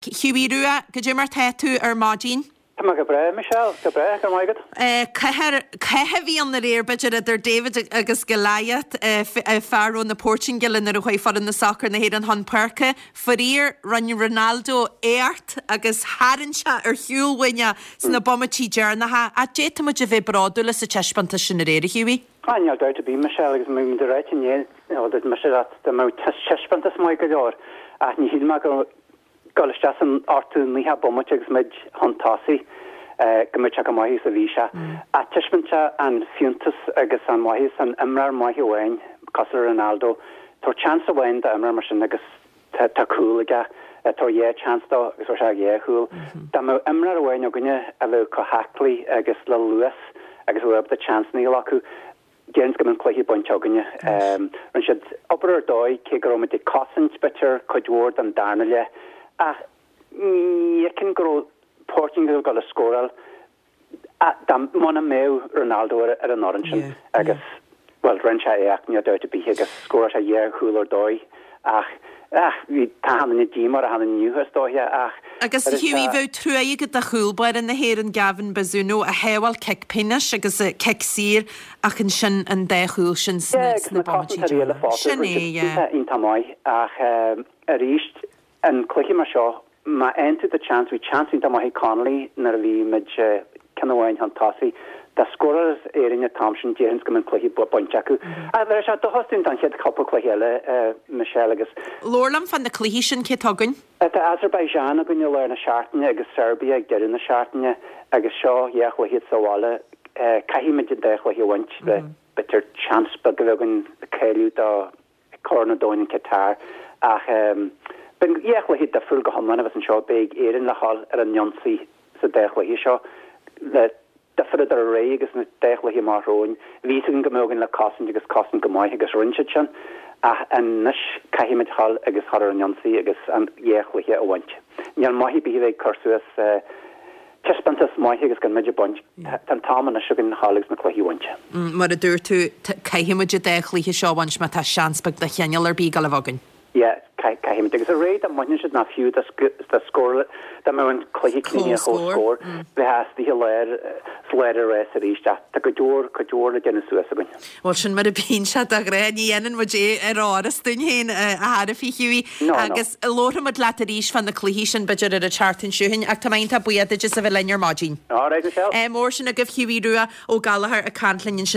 Hughie Rua, goidé mar tá tú ar maidin? Tá mé go breá, Michelle, go breá, go raibh maith agat. Cath a bhí ann aréir, b'fhéidir, idir David agus Goliath, fear ó na Portaingéile nuair a chuaigh foireann na sacair na hÉireann chun páirce. Faraor, rinne Ronaldo éacht agus tharraing sé ar shiúl uainn é sna bomaití deireanacha. Ach d'fhéadfadh muid a bheith bródúil as an taispeántas sin aréir, a Hughie. Ah, níl dabht ar bith, Michelle, agus bhí muid ag ráit inné, bhuel, dúirt mise leat, dá mbeadh taispeántas maith go leor, ach ní shíl mé go dul isteach san ochtú nócha bomaite agus muid chun tosaigh, go mbeadh sé chomh maith is a bhí sé. Ach taispeánann sé an fiúntas agus an maitheas an imreoir maith amháin cosúil le Ronaldo. Tabhair chance amháin d'imreoir mar sin agus tá cúl aige. Tabhair dhá chance dó agus fuair sé dhá chúl. Dá mbeadh imreoir amháin againne a bheadh chomh haclaí agus le luas agus a bheadh ábalta chanceanna a ghlacadh, Déarfainn go mbeadh an cluiche bainte againne. Rinne siad obair ar dóigh, cé go raibh muid ag cosaint, b'fhéidir, cuid mhór den darna leath. Ach ní fheicim go raibh Portaingéil ag dul a scóráil dá muna mbeadh Ronaldo ar an fhoireann sin. Agus, bhuel, rinne sé éacht, níl dabht ar bith, agus scóráil sé dhá chúl ar dóigh. Ach, ach, bhí, tá achan duine díomách ar achan duine inniu, is dóiche, ach. Agus, Hughie, bheadh trua agat do chúl báire na hÉireann, Gavin Bazunu, a shábháil cic pionóis agus cic saor ach ansin an dá chúl sin sna, Yeah, agus sna na bomaití cosantóirí eile deireanacha. fosta, Sin rinne é, siad yeah. iontach, iontach maith, ach arís, an cluiche mar seo, Má fhaigheann tú do chance, bhí chance iontach maith ag Connolly nuair a bhí muid ceann amháin chun tosaigh. Dá scóráil Éirinn an t-am sin, déarfainn go mbeadh an cluiche bainte acu. Ach bheadh sé dóchas dúinn don chéad chúpla cluiche eile, Michelle, agus. Labhair liom fá na cluichí sin, cé atá againn? Tá Azerbaijan againn i lár na seachtaine agus Serbia ag deireadh na seachtaine agus seo dhá chluiche sa bhaile. Caithfidh muid an dá chluiche a bhaint le b'fhéidir chance beag a bheith againn cáiliú do Corn an Domhain in Qatar ach beidh dhá chluiche difriúil go hiomlán a bheas anseo. Beidh Éirinn le dhul ar an ionsaí sa dá chluiche seo le difear idir aréir agus na dá chluiche amach romhainn. Bhí fhios againn go mbeadh againn le cosaint agus cosaint go maith agus rinne siad sin ach anois caithfimid dhul agus dhul ar an ionsaí agus an dhá chluiche a bhaint. Níl maith ar bith a bheith ag cur suas Taispeántas maith agus gan muid ag baint. Tá an t-am anois againn a dhul agus na cluichí a bhaint. Mar a dúirt tú, caithfidh muid an dá chluiche seo a bhaint má tá seans beag de chineál ar bith ag dul a bheith againn. Yeah, caithfimid. Agus aréir dá mbainfeadh siad ná fiú dá scóráil, dá mbeadh an cluiche críochnaithe comhscór, bheifeá istigh i lár, sa lár an rás arís. Ach tá cuid mhór, cuid mhór le déanamh suas againn. Bhuel, sin mar a bíonn sé de ghnáth, ní dhéanann muid é ar áras dúinn féin, a chara Hughie. No, no. Agus labharfaidh muid leat arís fá na cluichí sin, b'fhéidir ar an tseachtain seo chugainn, ach tá mé iontach buíoch duit as a bheith linn ar maidin. All right, Michelle. Ádh mór sin agaibh, Hughie Rua Ó Gallchóir ag caint linn ansin.